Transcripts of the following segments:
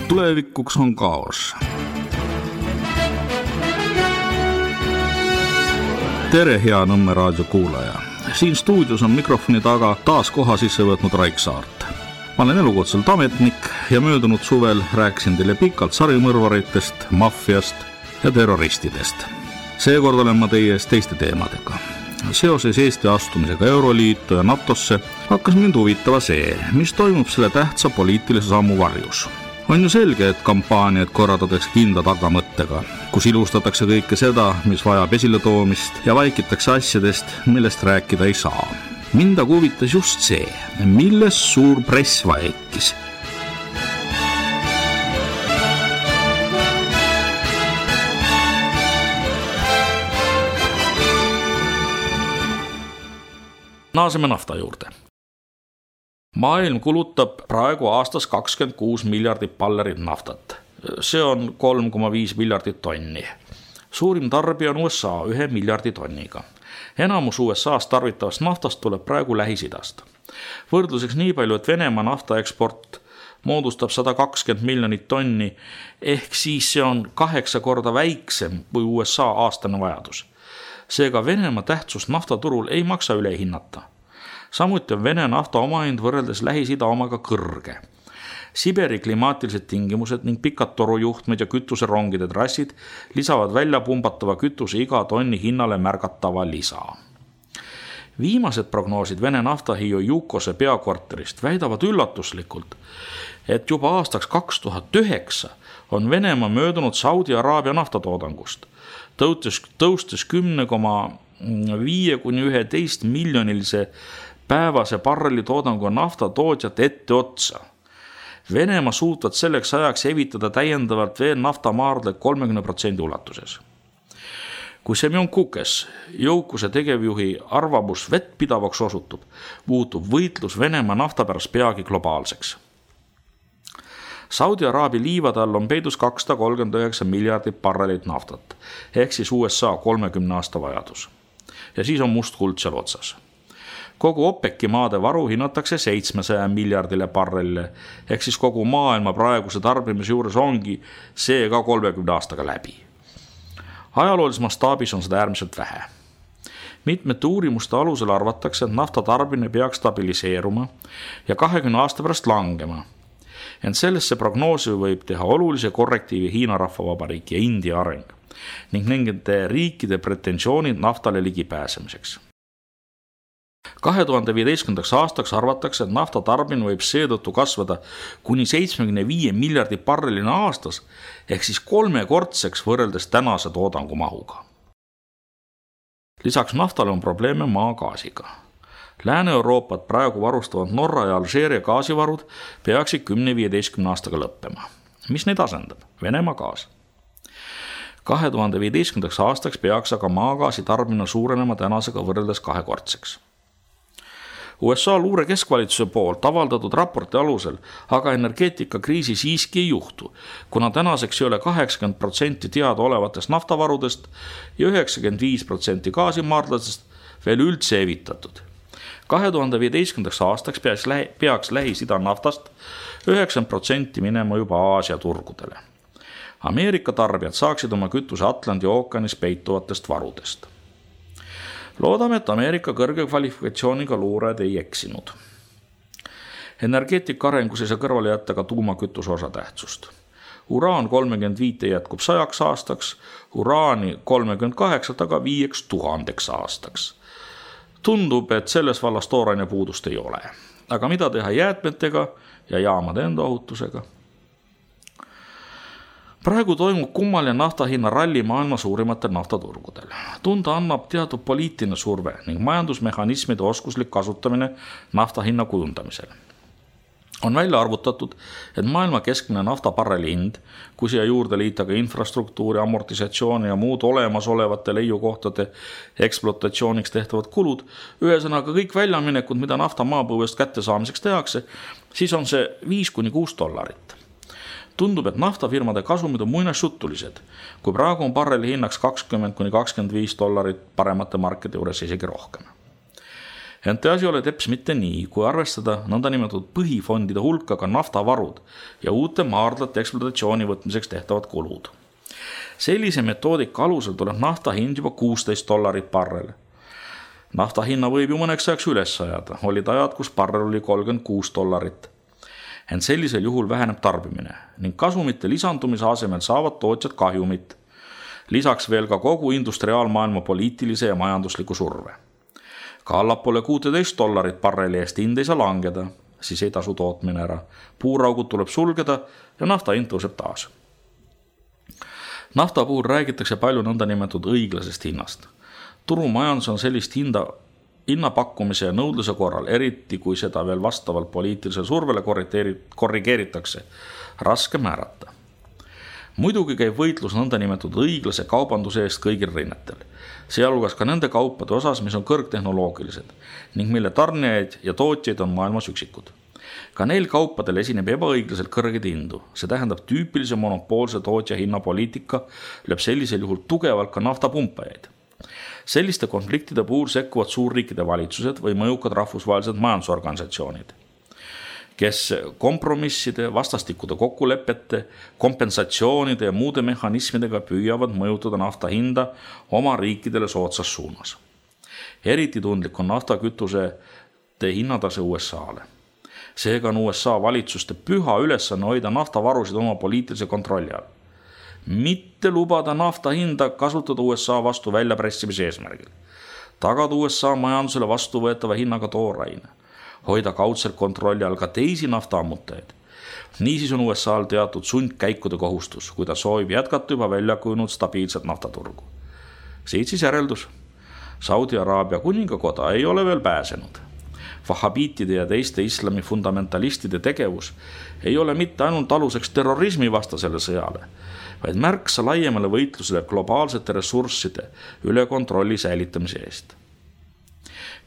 tulevikuks on kaos. Tere, hea Nõmme raadio kuulaja. Siin stuudios on mikrofoni taga taas koha sisse võtnud Raik Saart. Ma olen elukutselt ametnik ja möödunud suvel rääkisin teile pikalt sarimõrvaritest, maffiast ja terroristidest. Seekord olen ma teie ees teiste teemadega. Seoses Eesti astumisega Euroliitu ja NATOsse hakkas mind huvitava see, mis toimub selle tähtsa poliitilise sammu varjus. On ju selge, et kampaaniad korraldatakse kindla tagamõttega, kus ilustatakse kõike seda, mis vajab esiletoomist ja vaikitakse asjadest, millest rääkida ei saa. Mind aga huvitas just see, milles suur press vaikis. Naaseme nafta juurde. Maailm kulutab praegu aastas 26 miljardit ballerit naftat. See on 3,5 miljardit tonni. Suurim tarbija on USA 1 miljardi tonniga. Enamus USA's tarvitavast naftast tuleb praegu Lähis-Idast. Võrdluseks nii palju, et Venemaa naftaeksport moodustab 120 miljonit tonni, ehk siis see on 8 korda väiksem kui USA aastane vajadus. Seega Venemaa tähtsust naftaturul ei maksa üle hinnata. Samuti on Vene nafta omahind võrreldes Lähis-Ida omaga kõrge. Siberi klimaatilised tingimused ning pikad torujuhtmed ja kütuserongide trassid lisavad välja pumbatava kütuse iga tonni hinnale märgatava lisa. Viimased prognoosid Vene naftahiiu Jukose peakvarterist väidavad üllatuslikult, et juba aastaks 2009 on Venemaa möödunud Saudi Araabia naftatoodangust, tõustes 10,5–11 miljonilise päevase barreli toodangu naftatootjat ette otsa. Venemaa suutvad selleks ajaks evitada täiendavalt veel naftamaardle 30% ulatuses. Kui Semjon Kukes, Jõukuse tegevjuhi arvamus vettpidavaks osutub, muutub võitlus Venemaa nafta pärast peagi globaalseks. Saudi Araabia liivade all on peidus 239 miljardit barrelit naftat, ehk siis USA 30 aasta vajadus. Ja siis on must kuld seal otsas. Kogu OPEC-i maade varu hinnatakse 700 miljardile barrelile, ehk siis kogu maailma praeguse tarbimise juures ongi see ka 30 aastaga läbi. Ajaloolises mastaabis on seda äärmiselt vähe. Mitmete uurimuste alusel arvatakse, et nafta tarbimine peaks stabiliseeruma ja 20 aasta pärast langema. Ent sellesse prognoosi võib teha olulise korrektiivi Hiina Rahvavabariik ja India areng ning nende riikide pretensioonid naftale ligipääsemiseks. 2015. aastaks arvatakse, et nafta tarbimine võib seetõttu kasvada kuni 75 miljardi barrelina aastas, ehk siis 3-kordseks võrreldes tänase toodangu mahuga. Lisaks naftale on probleeme maagaasiga. Lääne-Euroopat praegu varustavad Norra ja Alžeeria gaasivarud peaksid 10–15 aastaga lõppema. Mis neid asendab? Venemaa gaas. 2015. aastaks peaks aga maagaasi tarbimine suurenema tänasega võrreldes 2-kordseks. USA luure keskvalitsuse poolt avaldatud raporti alusel aga energeetikakriisi siiski ei juhtu, kuna tänaseks ei ole 80% teada olevatest naftavarudest ja 95% gaasimaardlasest veel üldse evitatud. 2015. aastaks peaks Lähis-Ida naftast 9% minema juba Aasia turgudele. Ameerika tarbijad saaksid oma kütuse Atlandi ookeanis peituvatest varudest. Loodame, et Ameerika kõrge kvalifikatsiooniga luurajad ei eksinud. Energeetika arengus ei saa kõrvale jätta ka tuumakütuse osatähtsust. Uraan 35 jätkub 100 aastaks, uraani 38 aga 5000 aastaks. Tundub, et selles vallas tooraine puudust ei ole. Aga mida teha jäätmetega ja jaamade enda ohutusega? Praegu toimub kummaline naftahinna ralli maailma suurimatel naftaturgudel. Tunda annab teatud poliitiline surve ning majandusmehhanismide oskuslik kasutamine naftahinna kujundamisel. On välja arvutatud, et maailma keskmine naftabarreli hind, kui siia juurde liita ka infrastruktuuri, amortisatsiooni ja muud olemasolevate leiukohtade ekspluatatsiooniks tehtavad kulud, ühesõnaga kõik väljaminekud, mida nafta maapõuest kätte saamiseks tehakse, siis on see $5–6. Tundub, et naftafirmade kasumid on muinasjutulised, kui praegu on barreli hinnaks $20–25, paremate markide juures isegi rohkem. Ent asi ole teps mitte nii, kui arvestada nõndanimetatud põhifondide hulka ka naftavarud ja uute maardlate ekspluatatsiooni võtmiseks tehtavad kulud. Sellise metoodika alusel tuleb nafta hind juba $16 barrel. Nafta hinna võib ju mõneks ajaks üles ajada, olid ajad, kus barrel oli $36. Ent sellisel juhul väheneb tarbimine ning kasumite lisandumise asemel saavad tootjad kahjumit. Lisaks veel ka kogu industriaalmaailma poliitilise ja majandusliku surve. Ka allapoole $16 barreli eest hind ei saa langeda, siis ei tasu tootmine ära. Puuraugud tuleb sulgeda ja nafta hind tõuseb taas. Nafta puhul räägitakse palju nõndanimetatud õiglasest hinnast. Turumajandus on sellist hinnapakkumise ja nõudluse korral, eriti kui seda veel vastavalt poliitilisele survele korrigeeritakse, raske määrata. Muidugi käib võitlus nõndanimetatud õiglase kaubanduse eest kõigil rinnetel, sealhulgas ka nende kaupade osas, mis on kõrgtehnoloogilised ning mille tarnijaid ja tootjaid on maailmas üksikud. Ka neil kaupadel esineb ebaõiglaselt kõrgeid hindu, see tähendab tüüpilise monopoolse tootja hinnapoliitika lööb sellisel juhul tugevalt ka naftapumpajaid. Selliste konfliktide puhul sekkuvad suurriikide valitsused või mõjukad rahvusvahelised majandusorganisatsioonid, kes kompromisside, vastastikude kokkulepete, kompensatsioonide ja muude mehhanismidega püüavad mõjutada nafta hinda oma riikidele soodsas suunas. Eriti tundlik on naftakütusete hinnatase USA-le. Seega on USA valitsuste püha ülesanne hoida naftavarusid oma poliitilise kontrolli all. Mitte lubada nafta hinda kasutada USA vastu väljapressimise eesmärgil. Tagada USA majandusele vastuvõetava hinnaga tooraine. Hoida kaudselt kontrolli all ka teisi naftaammutajaid. Niisiis on USA'l teatud sundkäikude kohustus, kui ta soovib jätkata juba välja kujunud stabiilset naftaturgu. Siit siis järeldus. Saudi Araabia kuningakoda ei ole veel pääsenud. Vahabiitide ja teiste islami fundamentalistide tegevus ei ole mitte ainult aluseks terrorismi vastasele sõjale, vaid märksa laiemale võitlusele globaalsete ressursside üle kontrolli säilitamise eest.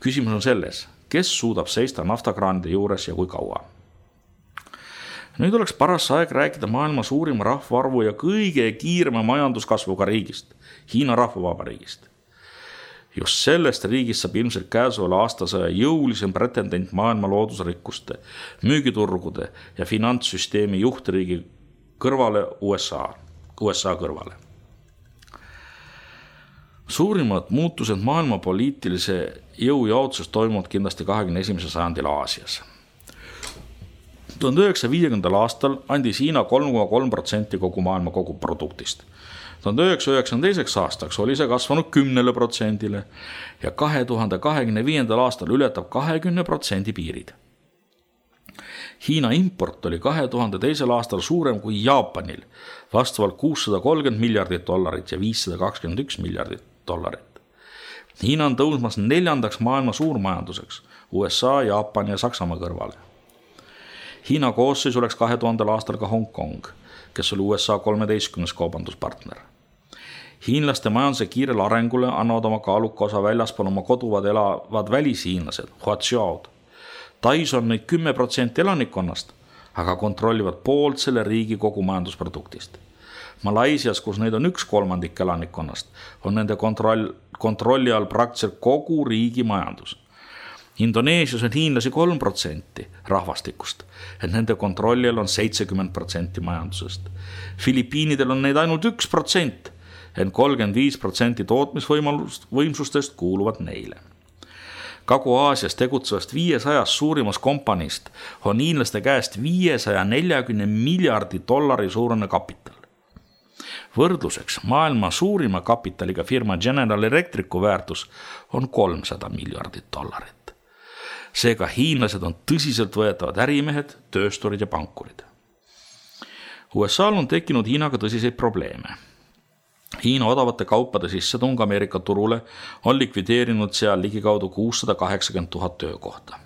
Küsimus on selles, kes suudab seista naftakraanide juures ja kui kaua. Nüüd oleks paras aeg rääkida maailma suurima rahvaarvu ja kõige kiirema majanduskasvuga riigist, Hiina Rahvavabariigist. Just sellest riigist saab ilmselt käesoleva aastasõja jõulisem pretendent maailma loodusrikkuste, müügiturgude ja finantssüsteemi juhtriigi kõrvale USA kõrvale. Suurimad muutused maailma poliitilise jõujaotuses toimuvad kindlasti 21. sajandil Aasias. 1950. aastal andis Hiina 3,3% kogu maailma koguproduktist. 1992. aastaks oli see kasvanud 10% ja 2025. aastal ületab 20% piirid. Hiina import oli 2002. aastal suurem kui Jaapanil, vastavalt $630 miljardit ja $521 miljardit. Hiina on tõusmas 4. maailma suurmajanduseks, USA, Jaapan ja Saksamaa kõrvale. Hiina koosseis oleks 2000. aastal ka Hong Kong, kes oli USA 13. kaubanduspartner. Hiinlaste majanduse kiirele arengule annavad oma kaaluka osa väljaspool oma koduvad elavad välishiinlased, huatsiaod. Tais on neid 10% elanikkonnast, aga kontrollivad poolt selle riigi kogu majandusproduktist. Malaisias, kus neid on 1/3 elanikkonnast, on nende kontrolli all praktiliselt kogu riigi majandus. Indoneesias on hiinlasi 3% rahvastikust, et nende kontrolli all on 70% majandusest. Filipiinidel on neid ainult 1%, ent 35% tootmisvõimsustest kuuluvad neile. Kagu-Aasias tegutsevast 500 suurimast kompaniist on hiinlaste käest $540 miljardi suurune kapital. Võrdluseks maailma suurima kapitaliga firma General Electricu väärtus on $300 miljardit. Seega hiinlased on tõsiselt võetavad ärimehed, töösturid ja pankurid. USA'l on tekkinud Hiinaga tõsiseid probleeme. Hiina odavate kaupade sissetung Ameerika turule on likvideerinud seal ligikaudu 680 000 töökohta.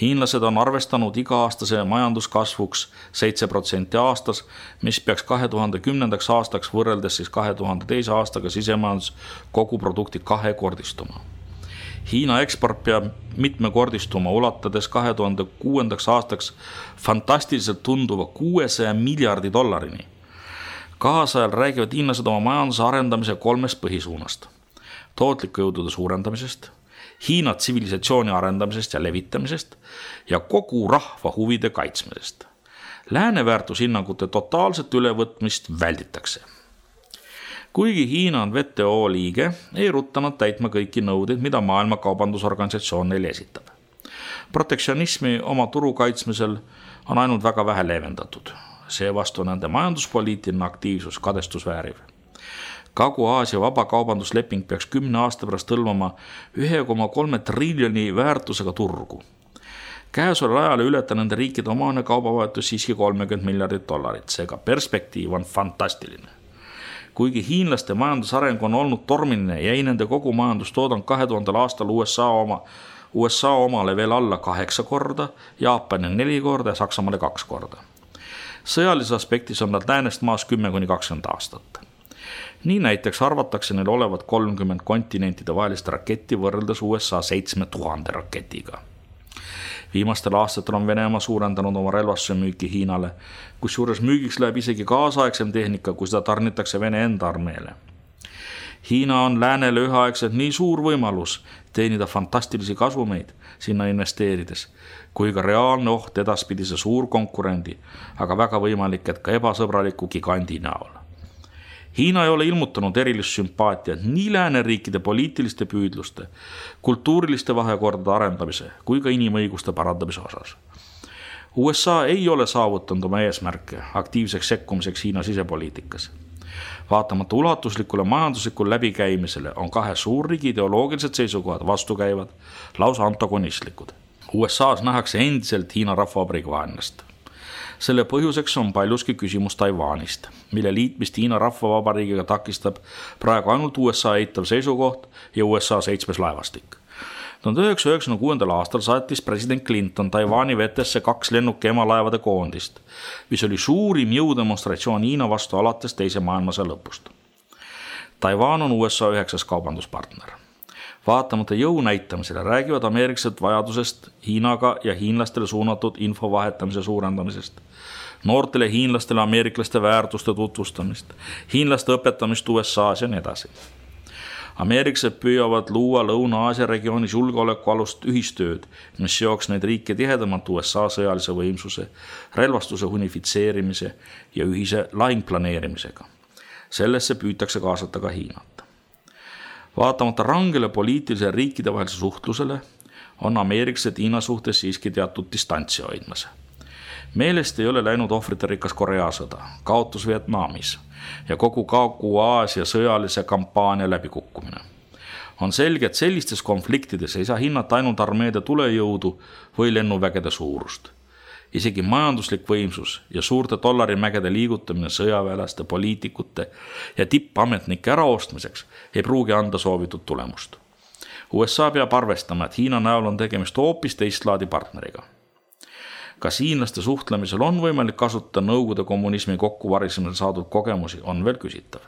Hiinlased on arvestanud iga-aastase majanduskasvuks 7% aastas, mis peaks 2010. aastaks võrreldes siis 2002. aastaga sisemajandus kogu produkti 2-kordistuma. Hiina eksport peab mitmekordistuma, ulatades 2006. aastaks fantastiliselt tunduva $600 miljardi. Kaasajal räägivad hiinlased oma majanduse arendamise 3 põhisuunast. Tootliku jõudude suurendamisest, Hiina tsivilisatsiooni arendamisest ja levitamisest ja kogu rahva huvide kaitsmisest. Lääne väärtushinnangute totaalset ülevõtmist välditakse. Kuigi Hiina on WTO liige, ei rutta nad täitma kõiki nõudeid, mida Maailma Kaubandusorganisatsioon neile esitab. Protektsionismi oma turu kaitsmisel on ainult väga vähe leevendatud. Seevastu nende majanduspoliitiline aktiivsus kadestusvääriv. Kagu-Aasia vabakaubandusleping peaks 10 aasta pärast hõlmama 1,3 triljoni väärtusega turgu. Käesoleval ajal ületab nende riikide omane kaubavahetus siiski $30 miljardit, seega perspektiiv on fantastiline. Kuigi hiinlaste majandusareng on olnud tormiline, jäi nende kogu majandustoodang 2000. aastal USA omale veel alla 8 korda, Jaapani 4 korda ja Saksamaale 2 korda. Sõjalises aspektis on nad läänest maas 10-20 aastat. Nii näiteks arvatakse neil olevat 30 kontinentide vahelist raketti võrreldes USA 7000 raketiga. Viimastel aastatel on Venemaa suurendanud oma relvastuse müüki Hiinale, kusjuures müügiks läheb isegi kaasaegsem tehnika, kui seda tarnitakse Vene enda armeele. Hiina on läänele üheaegselt nii suur võimalus teenida fantastilisi kasumeid sinna investeerides, kui ka reaalne oht edaspidise suur konkurendi, aga väga võimalik, et ka ebasõbraliku gigandi näol. Hiina ei ole ilmutanud erilist sümpaatiat nii lääneriikide poliitiliste püüdluste, kultuuriliste vahekordade arendamise kui ka inimõiguste parandamise osas. USA ei ole saavutanud oma eesmärke aktiivseks sekkumiseks Hiina sisepoliitikas. Vaatamata ulatuslikule majanduslikule läbikäimisele on kahe suurriigi ideoloogilised seisukohad vastukäivad, lausa antagonistlikud. USAs nähakse endiselt Hiina rahvavabariigi vaenlast. Selle põhjuseks on paljuski küsimus Taiwanist, mille liitmist Hiina rahvavabariigiga takistab praegu ainult USA eitav seisukoht ja USA 7. laevastik. 1996. aastal saatis president Clinton Taiwani vetesse 2 lennuki emalaevade koondist, mis oli suurim jõudemonstratsioon Hiina vastu alates teise maailmasõja lõpust. Taiwan on USA 9. kaubanduspartner. Vaatamata jõu näitamisele räägivad ameeriklased vajadusest Hiinaga ja hiinlastele suunatud info vahetamise suurendamisest, noortele hiinlastele ameeriklaste väärtuste tutvustamist, hiinlaste õpetamist USAs ja nii edasi. Ameeriklased püüavad luua Lõuna-Aasia regioonis julgeolekualust ühistööd, mis seoks neid riike tihedamalt USA sõjalise võimsuse, relvastuse unifitseerimise ja ühise lahingplaneerimisega. Sellesse püütakse kaasata ka Hiinat. Vaatamata rangele poliitilisele riikide vahelise suhtlusele on ameeriklased Hiina suhtes siiski teatud distantsi hoidmas. Meelest ei ole läinud ohvriterikas Korea sõda, kaotus Vietnamis ja kogu Kagu-Aasia sõjalise kampaania läbikukkumine. On selge, et sellistes konfliktides ei saa hinnata ainult armeede tulejõudu või lennuvägede suurust. Isegi majanduslik võimsus ja suurte dollarimägede liigutamine sõjaväelaste, poliitikute ja tippametnike äraostmiseks ei pruugi anda soovitud tulemust. USA peab arvestama, et Hiina näol on tegemist hoopis teistlaadi partneriga. Kas hiinlaste suhtlemisel on võimalik kasutada Nõukogude kommunismi kokkuvarisemisel saadud kogemusi, on veel küsitav.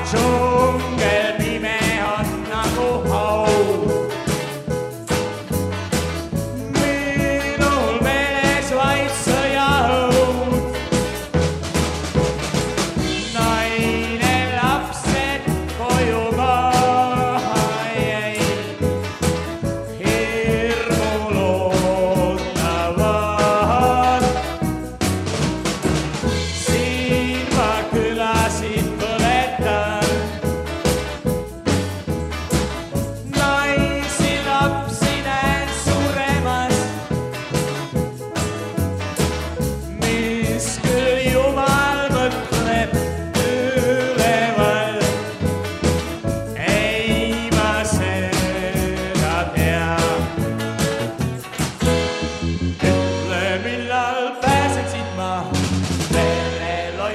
Džungel pime on nagu haud. Minul meeles vaid sõjaõud. Naine, lapsed koju maha jäi. Hirmul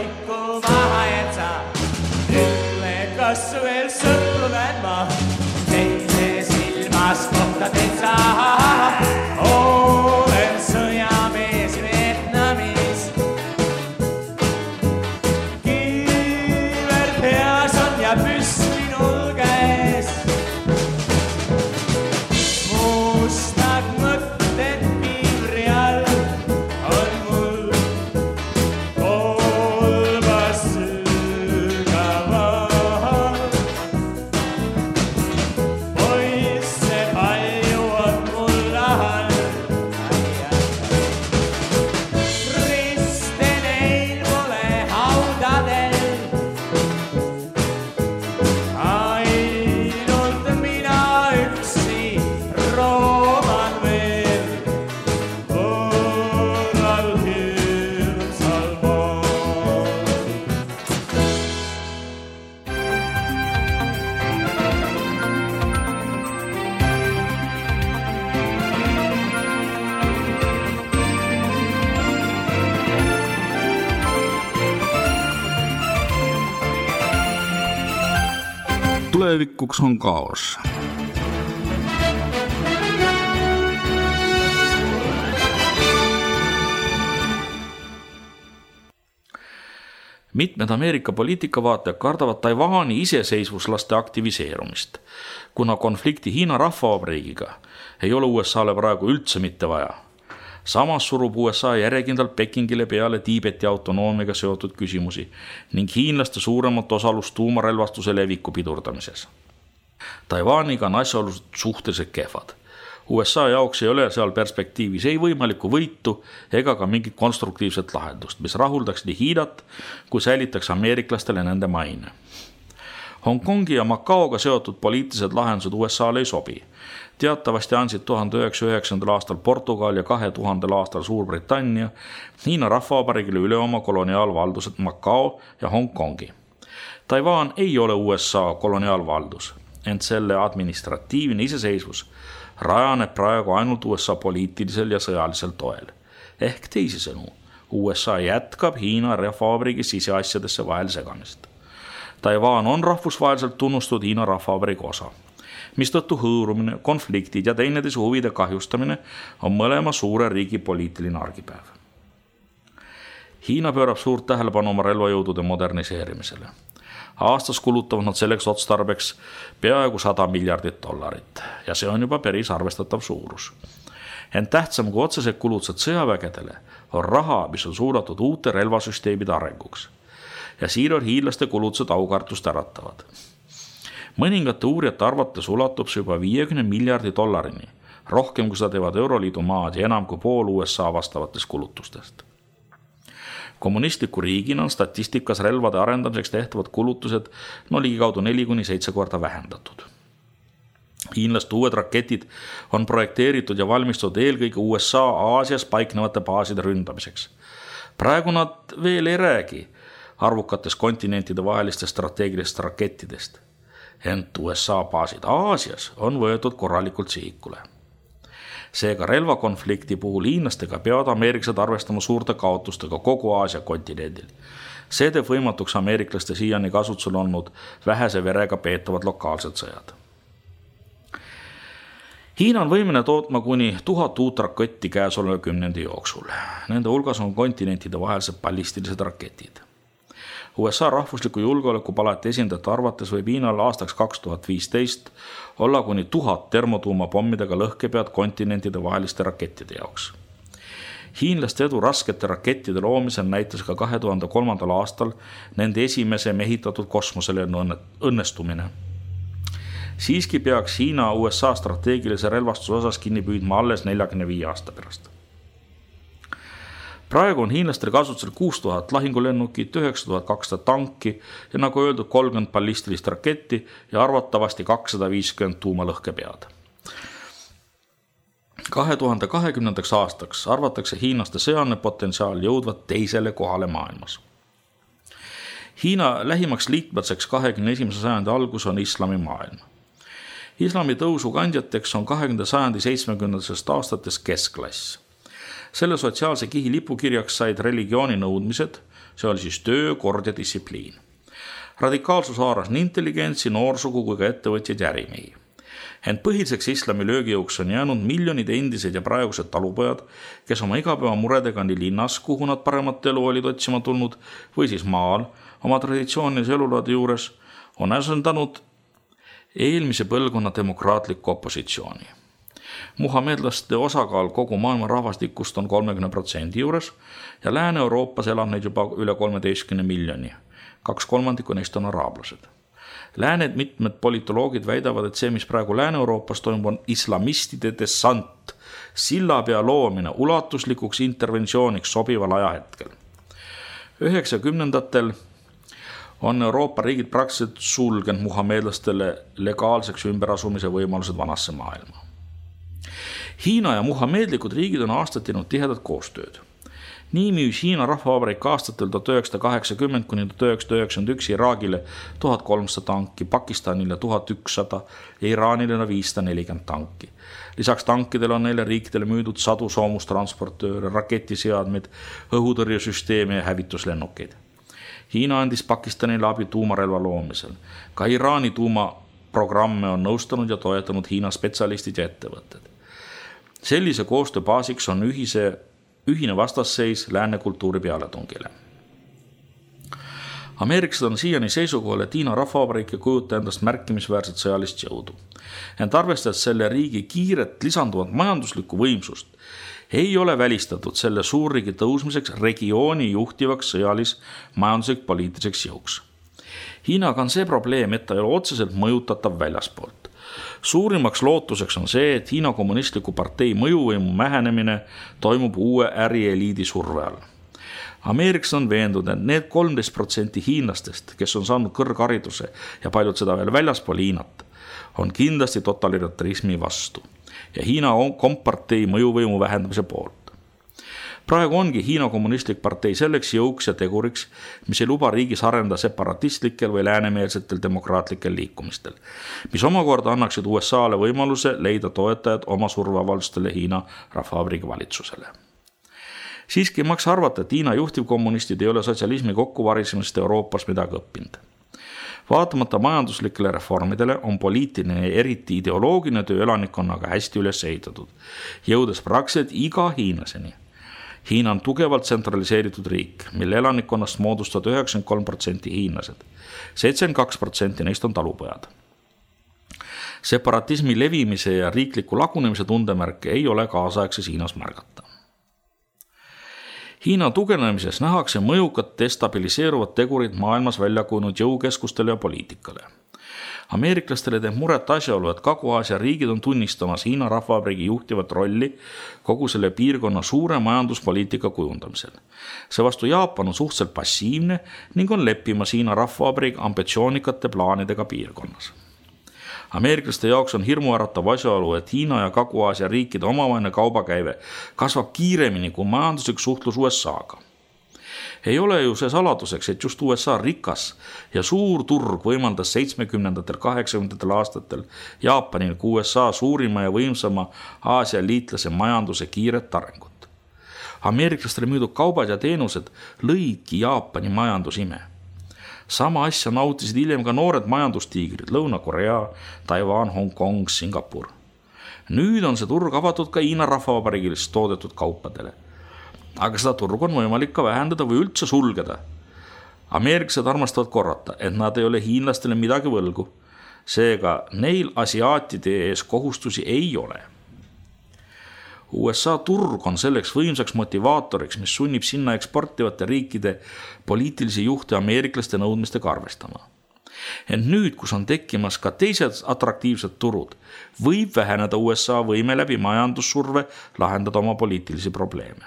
vaiku maha jätsa. Ütle, kas veel sõprunen ma, teise silmas kohtadel saa. Olen sõjamees Vietnamis. Kiiver peas on ja püss minul käes. Mustad mõtted piivri all on mul kolmas sügaval. Poisse palju on mul rahal. Riste neil pole haudadel. Ainult mina üksi rooman veel võõral hirmsal maal. Tulevikuks on kaos. Mitmed Ameerika poliitikavaatajad kardavad Taiwani iseseisvuslaste aktiviseerumist, kuna konflikti Hiina Rahvavabariigiga ei ole USAle praegu üldse mitte vaja. Samas surub USA järjekindlalt Pekingile peale Tiibeti autonoomiaga seotud küsimusi ning hiinlaste suuremat osalust tuumarelvastuse leviku pidurdamises. Taiwaniga on asjaolused suhteliselt kehvad. USA jaoks ei ole seal perspektiivis ei võimalikku võitu ega ka mingit konstruktiivset lahendust, mis rahuldaks nii Hiinat kui säilitaks ameeriklastele nende maine. Hongkongi ja Macaoga seotud poliitilised lahendused USAle ei sobi. Teatavasti andsid 1909. aastal Portugal ja 2000. aastal Suurbritannia Hiina Rahvavabariigile üle oma koloniaalvaldused Macao ja Hongkongi. Taiwan ei ole USA koloniaalvaldus, ent selle administratiivne iseseisvus rajaneb praegu ainult USA poliitilisel ja sõjalisel toel. Ehk teisisõnu, USA jätkab Hiina Rahvavabariigi siseasjadesse vahel segamist. Taiwan on rahvusvaheliselt tunnustatud Hiina Rahvavabariigi osa, mistõttu hõõrumine, konfliktid ja teineteise huvide kahjustamine on mõlema suure riigi poliitiline argipäev. Hiina pöörab suurt tähelepanu oma relvajõudude moderniseerimisele. Aastas kulutavad nad selleks otstarbeks peaaegu $100 miljardit ja see on juba päris arvestatav suurus. Ent tähtsam kui otsesed kulutused sõjavägedele on raha, mis on suunatud uute relvasüsteemide arenguks. Ja siin on hiinlaste kulutused aukartust äratavad. Mõningate uurijate arvates ulatub see juba $50 miljardi, rohkem kui seda teevad Euroliidu maad ja enam kui pool USA vastavatest kulutustest. Kommunistliku riigina on statistikas relvade arendamiseks tehtavad kulutused ligikaudu 4-7 korda vähendatud. Hiinlaste uued raketid on projekteeritud ja valmistatud eelkõige USA Aasias paiknevate baaside ründamiseks. Praegu nad veel ei räägi arvukatest kontinentide vahelistest strateegilistest rakettidest, ent USA baasid Aasias on võetud korralikult sihikule. Seega relvakonflikti puhul hiinlastega peavad ameeriklased arvestama suurte kaotustega kogu Aasia kontinendil. See teeb võimatuks ameeriklaste siiani kasutusel olnud vähese verega peetavad lokaalsed sõjad. Hiina on võimeline tootma kuni 1000 uut raketti käesoleva 10 jooksul. Nende hulgas on kontinentide vahelised ballistilised raketid. USA rahvusliku julgeolekupalati esindajate arvates võib Hiinal aastaks 2015 olla kuni 1000 termotuumapommidega lõhkepead kontinentide vaheliste rakettide jaoks. Hiinlaste edu raskete rakettide loomisel näitas ka 2003. aastal nende esimese mehitatud kosmosele õnnestumine. Siiski peaks Hiina USA strateegilise relvastuse osas kinni püüdma alles 45 aasta pärast. Praegu on hiinlastel kasutusel 6000 lahingulennukit, 9200 tanki ja nagu öeldud 30 ballistilist raketti ja arvatavasti 250 tuumalõhkepead. 2020. aastaks arvatakse hiinlaste sõjaline potentsiaal jõudvat teisele kohale maailmas. Hiina lähimaks liitlaseks 21. sajandi algus on islamimaailm. Islami tõusu kandjateks on 20. sajandi 70. aastates keskklass. Selle sotsiaalse kihi lipukirjaks said religiooni nõudmised, see oli siis töö, kord ja distsipliin. Radikaalsus haaras nii intelligentsi, noorsugu kui ka ettevõtjaid ja ärimehi. Ent põhiliseks islami löögijõuks on jäänud miljonid endised ja praegused talupojad, kes oma igapäevamuredega nii linnas, kuhu nad paremat elu olid otsima tulnud, või siis maal oma traditsioonilise elulaadi juures, on asendanud eelmise põlvkonna demokraatlikku opositsiooni. Muhamedlaste osakaal kogu maailma rahvastikust on 30% juures ja Lääne-Euroopas elab neid juba üle 13 miljoni. 2/3 neist on araablased. Lääned mitmed politoloogid väidavad, et see, mis praegu Lääne-Euroopas toimub, on islamistide dessant, sillapea loomine ulatuslikuks interventsiooniks sobival ajahetkel. 90-ndatel on Euroopa riigid praktiliselt sulgenud muhamedlastele legaalseks ümberasumise võimalused vanasse maailma. Hiina ja muhamedlikud riigid on aastaid teinud tihedat koostööd. Nii müüs Hiina rahvavabariik aastatel 1980 kuni 1991 Iraagile 1300 tanki, Pakistanile 1100 ja Iraanile 540 tanki. Lisaks tankidele on neile riikidele müüdud sadu soomustransportööre, raketiseadmeid, õhutõrjesüsteeme ja hävituslennukeid. Hiina andis Pakistanile abi tuumarelva loomisel. Ka Iraani tuumaprogramme on nõustanud ja toetanud Hiina spetsialistid ja ettevõtted. Sellise koostöö baasiks on ühine vastasseis lääne kultuuri pealetungile. Ameeriklased on siiani seisukohal, et Hiina rahvavabariik ei kujuta endast märkimisväärset sõjalist jõudu. Ent arvestades selle riigi kiiret lisanduvat majanduslikku võimsust, ei ole välistatud selle suurriigi tõusmiseks regiooni juhtivaks sõjalis-majanduslik poliitiliseks jõuks. Hiinaga on see probleem, et ta ei ole otseselt mõjutatav väljaspoolt. Suurimaks lootuseks on see, et Hiina kommunistliku partei mõjuvõimu mähenemine toimub uue ärieliidi surve all. Ameerikas on veendunud, et need 13% hiinlastest, kes on saanud kõrghariduse ja paljud seda veel väljaspool Hiinat, on kindlasti totalitarismi vastu ja Hiina kompartei mõjuvõimu vähendamise poolt. Praegu ongi Hiina kommunistlik partei selleks jõuks ja teguriks, mis ei luba riigis arendada separatistlikel või läänemeelsetel demokraatlikel liikumistel, mis omakorda annaksid USA'le võimaluse leida toetajad oma surveavaldustele Hiina rahvavabariigi valitsusele. Siiski ei maksa arvata, et Hiina juhtivkommunistid ei ole sotsialismi kokkuvarisemisest Euroopas midagi õppinud. Vaatamata majanduslikele reformidele on poliitiline ja eriti ideoloogiline töö elanikkonnaga hästi üles ehitatud, jõudes praktiliselt iga hiinlaseni. Hiina on tugevalt tsentraliseeritud riik, mille elanikkonnast moodustavad 93% hiinlased. 72% neist on talupojad. Separatismi levimise ja riikliku lagunemise tundemärke ei ole kaasaegses Hiinas märgata. Hiina tugevnemises nähakse mõjukat destabiliseeruvat tegurid maailmas välja kujunenud jõukeskustele ja poliitikale. Ameeriklastele teeb muret asjaolu, et Kagu-Aasia riigid on tunnistamas Hiina rahvavabariigi juhtivat rolli kogu selle piirkonna suure majanduspoliitika kujundamisel. Seevastu Jaapan on suhteliselt passiivne ning on leppimas Hiina rahvavabariigi ambitsioonikate plaanidega piirkonnas. Ameeriklaste jaoks on hirmuäratav asjaolu, et Hiina ja Kagu-Aasia riikide omavaheline kaubakäive kasvab kiiremini kui majanduslik suhtlus USA-ga. Ei ole ju see saladuseks, et just USA rikas ja suur turg võimaldas 70-80 aastatel Jaapanil kui USA suurima ja võimsama Aasia liitlase majanduse kiiret arengut. Ameeriklastele müüdud kaubad ja teenused lõidki Jaapani majandusime. Sama asja nautisid hiljem ka noored majandustiigrid Lõuna-Korea, Taiwan, Hongkong, Singapur. Nüüd on see turg avatud ka Hiina rahvavabariigilist toodetud kaupadele. Aga seda turgu on võimalik ka vähendada või üldse sulgeda. Ameeriklased armastavad korrata, et nad ei ole hiinlastele midagi võlgu. Seega neil asiaatide ees kohustusi ei ole. USA turg on selleks võimsaks motivaatoriks, mis sunnib sinna eksportivate riikide poliitilisi juhte ameeriklaste nõudmistega arvestama. Ent nüüd, kus on tekkimas ka teised atraktiivsed turud, võib väheneda USA võime läbi majandussurve lahendada oma poliitilisi probleeme.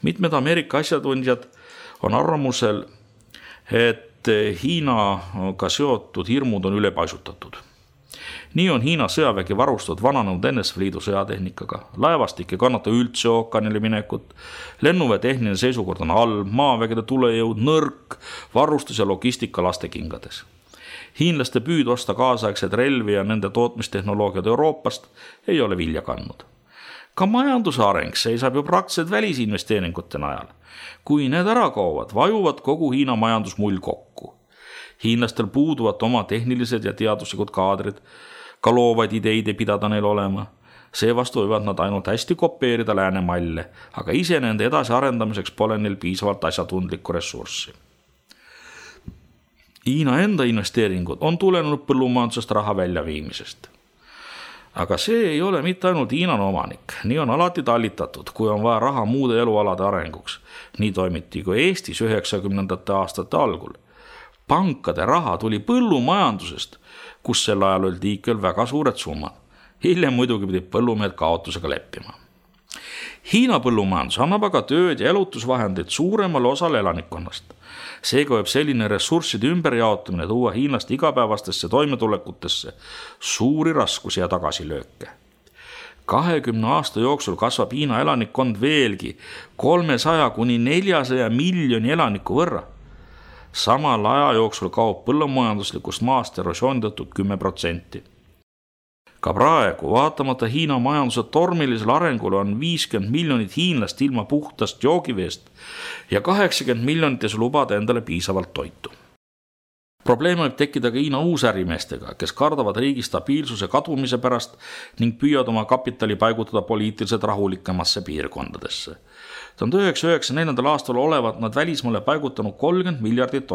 Mitmed Ameerika asjatundjad on arvamusel, et Hiinaga seotud hirmud on ülepaisutatud. Nii on Hiina sõjavägi varustatud vananenud NSV Liidu sõjatehnikaga, laevastik ei kannata üldse ookeanile minekut, lennuväe tehniline seisukord on halb, maavägede tulejõud nõrk, varustus ja logistika lastekingades. Hiinlaste püüd osta kaasaegseid relvi ja nende tootmistehnoloogiad Euroopast ei ole vilja kandnud. Ka majanduse areng seisab ju praktiliselt välisinvesteeringute najal. Kui need ära kaovad, vajuvad kogu Hiina majandus mull kokku. Hiinlastel puuduvad oma tehnilised ja teaduslikud kaadrid, ka loovaid ideid ei pidada neil olema. Seevastu võivad nad ainult hästi kopeerida lääne malle, aga ise nende edasi arendamiseks pole neil piisavalt asjatundlikku ressurssi. Hiina enda investeeringud on tulenud põllumajandusest raha väljaviimisest. Aga see ei ole mitte ainult Hiinan omanik, nii on alati tallitatud, kui on vaja raha muude elualade arenguks. Nii toimiti kui Eestis 90. aastate algul. Pankade raha tuli põllumajandusest, kus sel ajal olid liikel väga suured summad. Hiljem muidugi pidid põllumehed kaotusega leppima. Hiina põllumajandus annab aga tööd ja elutusvahendeid suuremale osale elanikkonnast. Seega võib selline ressursside ümberjaotamine tuua hiinlaste igapäevastesse toimetulekutesse suuri raskusi ja tagasilööke. 20 aasta jooksul kasvab Hiina elanikkond veelgi 300–400 miljoni elaniku võrra. Samal aja jooksul kaob põllumajanduslikust maast erosiooni tõttu 10%. Ka praegu, vaatamata Hiina majanduse tormilisele arengule on 50 miljonit hiinlast ilma puhtast joogiveest ja 80 miljonites lubada endale piisavalt toitu. Probleem võib tekkida ka Hiina uusärimeestega, kes kardavad riigi stabiilsuse kadumise pärast ning püüavad oma kapitali paigutada poliitiliselt rahulikemasse piirkondadesse. 1994. aastal olevat nad välismaale paigutanud $30 miljardit.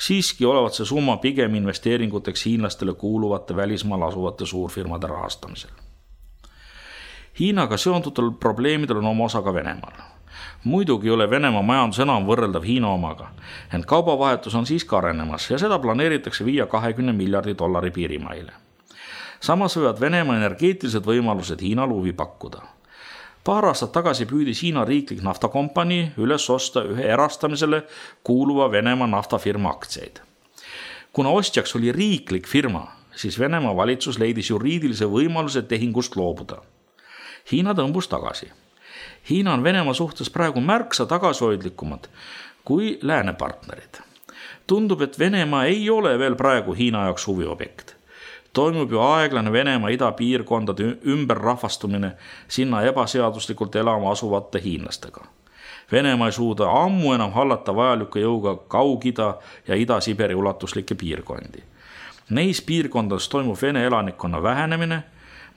Siiski olevat see summa pigem investeeringuteks hiinlastele kuuluvate välismaal asuvate suurfirmade rahastamisel. Hiinaga seonduvatel probleemidel on oma osa ka Venemaal. Muidugi ei ole Venemaa majandus enam võrreldav Hiina omaga, ent kaubavahetus on siiski arenemas ja seda planeeritakse viia $20 miljardi piirimaile. Samas võivad Venemaa energeetilised võimalused Hiinal huvi pakkuda. Paar aastat tagasi püüdis Hiina riiklik naftakompanii üles osta ühe erastamisele kuuluva Venemaa naftafirma aktsiaid. Kuna ostjaks oli riiklik firma, siis Venemaa valitsus leidis juriidilise võimaluse tehingust loobuda. Hiina tõmbus tagasi. Hiina on Venemaa suhtes praegu märksa tagasihoidlikumad kui lääne partnerid. Tundub, et Venemaa ei ole veel praegu Hiina jaoks huviobjekt. Toimub ju aeglane Venemaa idapiirkondade ümberrahvastumine sinna ebaseaduslikult elama asuvate hiinlastega. Venemaa ei suuda ammu enam hallata vajaliku jõuga Kaug-Ida ja Ida-Siberi ulatuslikke piirkondi. Neis piirkondades toimub Vene elanikkonna vähenemine,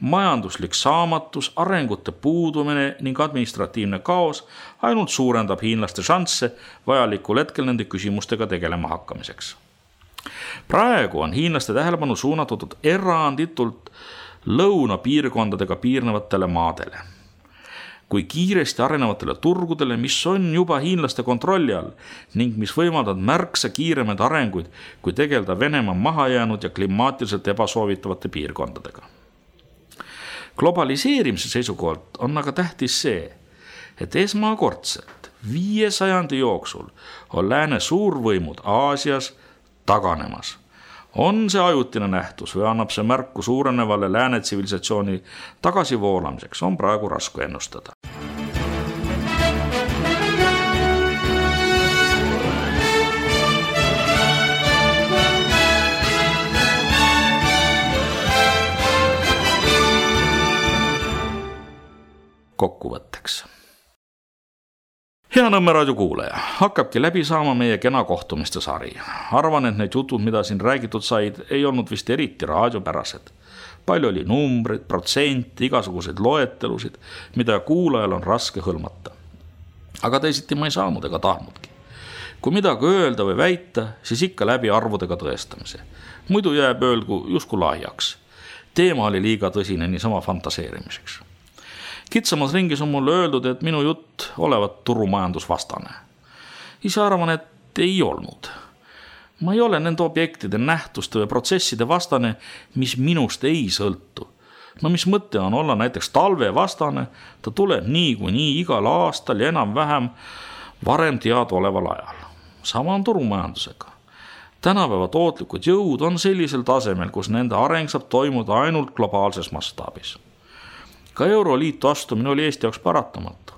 majanduslik saamatus, arengute puudumine ning administratiivne kaos ainult suurendab hiinlaste šansse vajalikul hetkel nende küsimustega tegelema hakkamiseks. Praegu on hiinlaste tähelepanu suunatud eranditult lõunapiirkondadega piirnevatele maadele. Kui kiiresti arenevatele turgudele, mis on juba hiinlaste kontrolli all ning mis võimaldavad märksa kiiremaid arenguid, kui tegeleda Venemaa mahajäänud ja klimaatiliselt ebasoovitavate piirkondadega. Globaliseerimise seisukohalt on aga tähtis see, et esmakordselt 500 jooksul on lääne suurvõimud Aasias taganemas. On see ajutine nähtus või annab see märku suurenevale lääne tsivilisatsiooni tagasivoolamiseks, on praegu raske ennustada. Kokkuvõtteks. Hea Nõmme raadio kuulaja, hakkabki läbi saama meie kena kohtumiste sari. Arvan, et need jutud, mida siin räägitud said, ei olnud vist eriti raadiopärased. Palju oli numbreid, protsenti, igasuguseid loetelusid, mida kuulajal on raske hõlmata. Aga teisiti ma ei saanud ega tahtnudki. Kui midagi öelda või väita, siis ikka läbi arvudega tõestamise. Muidu jääb öelgu justkui lahiaks. Teema oli liiga tõsine niisama fantaseerimiseks. Kitsamas ringis on mulle öeldud, et minu jutt olevat turumajandusvastane. Ise arvan, et ei olnud. Ma ei ole nende objektide, nähtuste või protsesside vastane, mis minust ei sõltu. No mis mõte on olla näiteks talve vastane, ta tuleb nii igal aastal ja enam-vähem varem teadaoleval ajal. Sama on turumajandusega. Tänapäeva tootlikud jõud on sellisel tasemel, kus nende areng saab toimuda ainult globaalses mastaabis. Ka Euroliitu astumine oli Eesti jaoks paratamatu.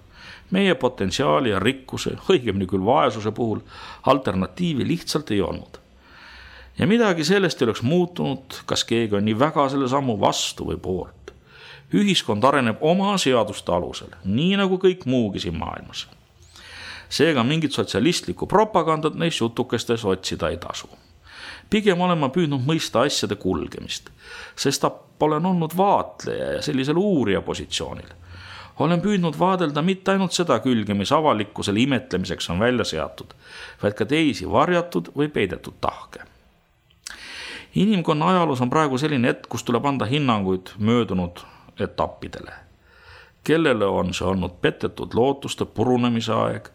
Meie potentsiaali ja rikkuse, õigemini küll vaesuse puhul, alternatiivi lihtsalt ei olnud. Ja midagi sellest ei oleks muutunud, kas keegi on nii väga selle sammu vastu või poolt. Ühiskond areneb oma seaduste alusel, nii nagu kõik muugi siin maailmas. Seega mingit sotsialistlikku propagandat neis jutukestes otsida ei tasu. Pigem olen ma püüdnud mõista asjade kulgemist, sest olen olnud vaatleja ja sellisel uurija positsioonil. Olen püüdnud vaadelda mitte ainult seda külge, mis avalikkusele imetlemiseks on välja seatud, vaid ka teisi varjatud või peidetud tahke. Inimkonna ajaloos on praegu selline hetk, kus tuleb anda hinnanguid möödunud etappidele. Kellele on see olnud petetud lootuste purunemise aeg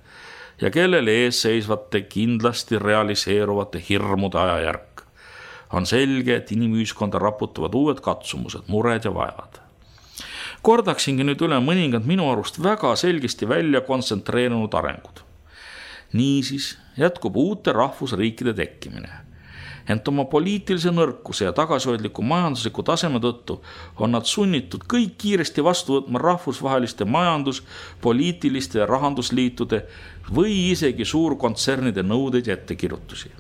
ja kellele ees seisvate kindlasti realiseeruvate hirmude ajajärk. On selge, et inimühiskonda raputavad uued katsumused, mured ja vaevad. Kordaksingi nüüd üle mõningad minu arust väga selgesti välja kontsentreerunud arengud. Niisiis jätkub uute rahvusriikide tekkimine. Ent oma poliitilise nõrkuse ja tagasihoidliku majandusliku taseme tõttu on nad sunnitud kõik kiiresti vastu võtma rahvusvaheliste majandus-, poliitiliste ja rahandusliitude või isegi suurkontsernide nõudeid ja ettekirjutusi.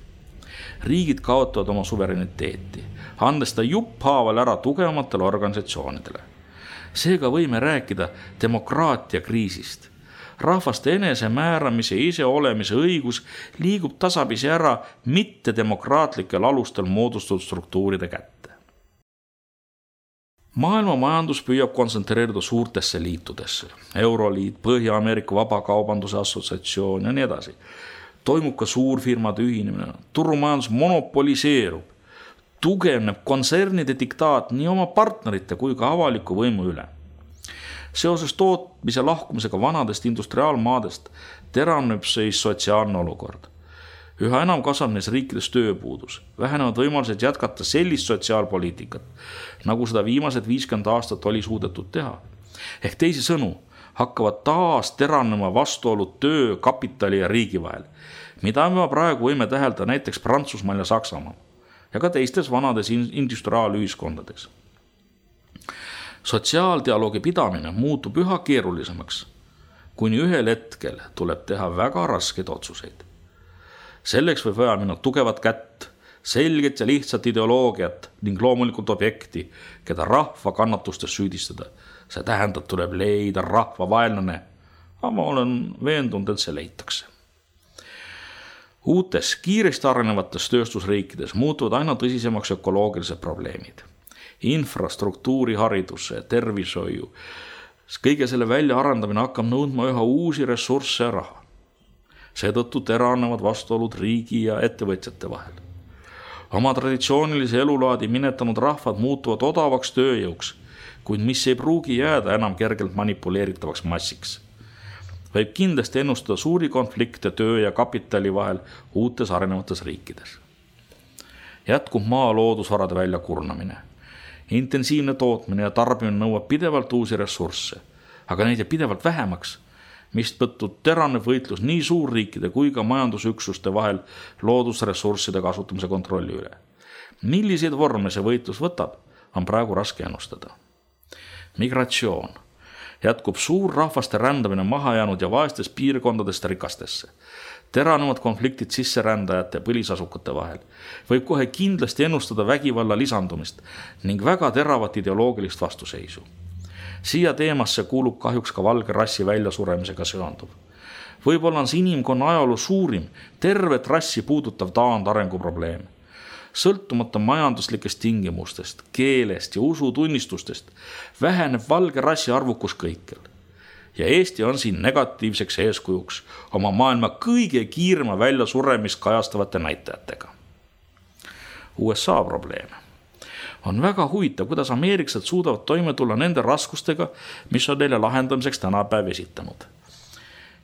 Riigid kaotavad oma suvereniteeti, andes ta jupphaaval ära tugevamatele organisatsioonidele. Seega võime rääkida demokraatia kriisist. Rahvaste enesemääramise ja iseolemise õigus liigub tasapisi ära mittedemokraatlikel alustel moodustatud struktuuride kätte. Maailma majandus püüab kontsentreeruda suurtesse liitudesse. Euroliit, Põhja-Ameerika Vabakaubanduse Assotsiatsioon ja nii edasi. Toimub ka suurfirmade ühinemine. Turumajandus monopoliseerub. Tugevneb kontsernide diktaat nii oma partnerite kui ka avaliku võimu üle. Seoses tootmise lahkumisega vanadest industriaalmaadest teravneb siis sotsiaalne olukord. Üha enam kasvab neis riikides tööpuudus. Vähenevad võimalused jätkata sellist sotsiaalpoliitikat, nagu seda viimased 50 aastat oli suudetud teha. Ehk teisisõnu hakkavad taas teravnema vastuolud töö, kapitali ja riigi vahel, mida me praegu võime tähelda näiteks Prantsusmaal ja Saksamaal ja ka teistes vanades industriaalühiskondades. Sotsiaaldialoogi pidamine muutub üha keerulisemaks, kuni ühel hetkel tuleb teha väga raskeid otsuseid. Selleks võib vaja minna tugevat kätt, selget ja lihtsat ideoloogiat ning loomulikult objekti, keda rahva kannatustes süüdistada. See tähendab, tuleb leida rahva vaenlane, aga ma olen veendunud, et see leitakse. Uutes, kiiresti arenevates tööstusriikides muutuvad aina tõsisemaks ökoloogilised probleemid. Infrastruktuuri, hariduse, tervishoiu. Kõige selle väljaarendamine hakkab nõudma üha uusi ressursse ja raha. Seetõttu teravnevad vastuolud riigi ja ettevõtjate vahel. Oma traditsioonilise elulaadi minetanud rahvad muutuvad odavaks tööjõuks, kuid mis ei pruugi jääda enam kergelt manipuleeritavaks massiks. Võib kindlasti ennustada suuri konflikte töö ja kapitali vahel uutes arenevates riikides. Jätkub maa loodusvarade väljakurnamine. Intensiivne tootmine ja tarbimine nõuab pidevalt uusi ressursse, aga neid jääb pidevalt vähemaks, mistõttu teravneb võitlus nii suurriikide kui ka majandusüksuste vahel loodusressursside kasutamise kontrolli üle. Milliseid vorme see võitlus võtab, on praegu raske ennustada. Migratsioon. Jätkub suur rahvaste rändamine maha jäänud ja vaestes piirkondadest rikastesse. Teravnevad konfliktid sisserändajate ja põlisasukate vahel. Võib kohe kindlasti ennustada vägivalla lisandumist ning väga teravat ideoloogilist vastuseisu. Siia teemasse kuulub kahjuks ka valge rassi väljasuremisega seonduv. Võib-olla on see inimkonna ajaloo suurim, tervet rassi puudutav taandarengu probleem. Sõltumata majanduslikest tingimustest, keelest ja usutunnistustest väheneb valge rassi arvukus kõikjal. Ja Eesti on siin negatiivseks eeskujuks oma maailma kõige kiirema väljasuremist kajastavate näitajatega. USA probleem. On väga huvitav, kuidas ameeriksed suudavad toime tulla nende raskustega, mis on neile lahendamiseks tänapäev esitanud.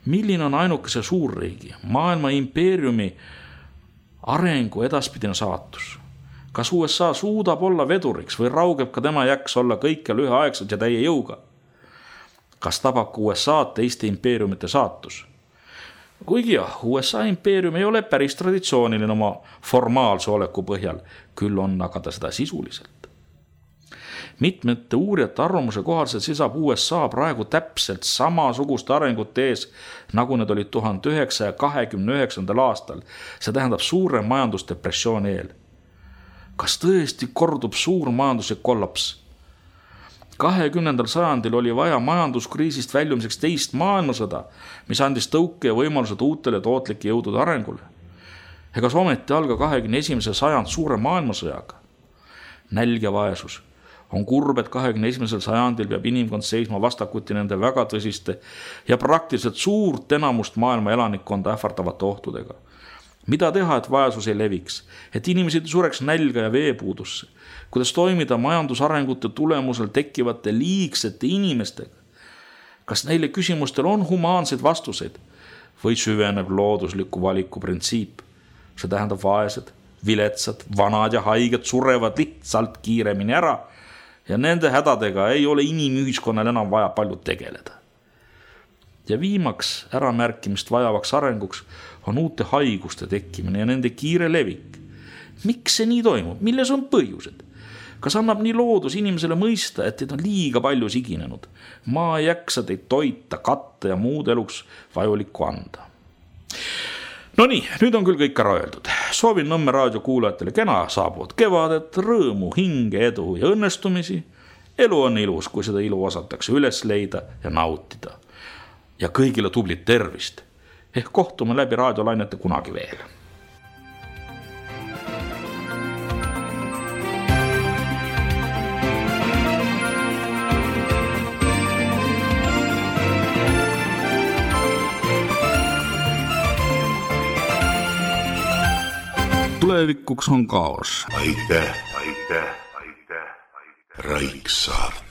Milline on ainukese suurriigi, maailma impeeriumi arengu edaspidine saatus? Kas USA suudab olla veduriks või raugeb ka tema jäks olla kõikjal üheaegselt ja täie jõuga? Kas tabab ka USA teiste impeeriumite saatus? Kuigi jah, USA impeerium ei ole päris traditsiooniline oma formaalse oleku põhjal, küll on aga ta seda sisuliselt. Mitmete uurijate arvamuse kohaselt seisab USA praegu täpselt samasuguste arengute ees, nagu need olid 1929. aastal. See tähendab suure majandusdepressiooni eel. Kas tõesti kordub suur majanduslik kollaps? 20. sajandil oli vaja majanduskriisist väljumiseks teist maailmasõda, mis andis tõuke ja võimalused uutele tootlike jõudude arengule. Ega ometi alga 21. sajand suure maailmasõjaga. Nälg ja vaesus on kurb, et 21. sajandil peab inimkond seisma vastakuti nende väga tõsiste ja praktiliselt suurt enamust maailma elanikkonda ähvardavate ohtudega. Mida teha, et vaesus ei leviks, et inimesed sureks nälga ja veepuudusse, kuidas toimida majandusarengute tulemusel tekkivate liigsete inimestega? Kas neile küsimustel on humaanseid vastuseid või süveneb loodusliku valiku printsiip? See tähendab vaesed, viletsad, vanad ja haiged surevad lihtsalt kiiremini ära ja nende hädadega ei ole inimühiskonnal enam vaja palju tegeleda. Ja viimaks äramärkimist vajavaks arenguks on uute haiguste tekkimine ja nende kiire levik. Miks see nii toimub? Milles on põhjused? Kas annab nii loodus inimesele mõista, et teid on liiga palju siginenud? Maa ei jaksa teid toita, katta ja muud eluks vajulikku anda. No nii, nüüd on küll kõik ära öeldud. Soovin Nõmme raadio kuulajatele kena saabuvat kevadet, rõõmu, hinge, edu ja õnnestumisi. Elu on ilus, kui seda ilu osatakse üles leida ja nautida. Ja kõigile tublit tervist. Ehk kohtume läbi raadiolainete kunagi veel. Tulevikuks on kaos. Aitäh. Raiksaart.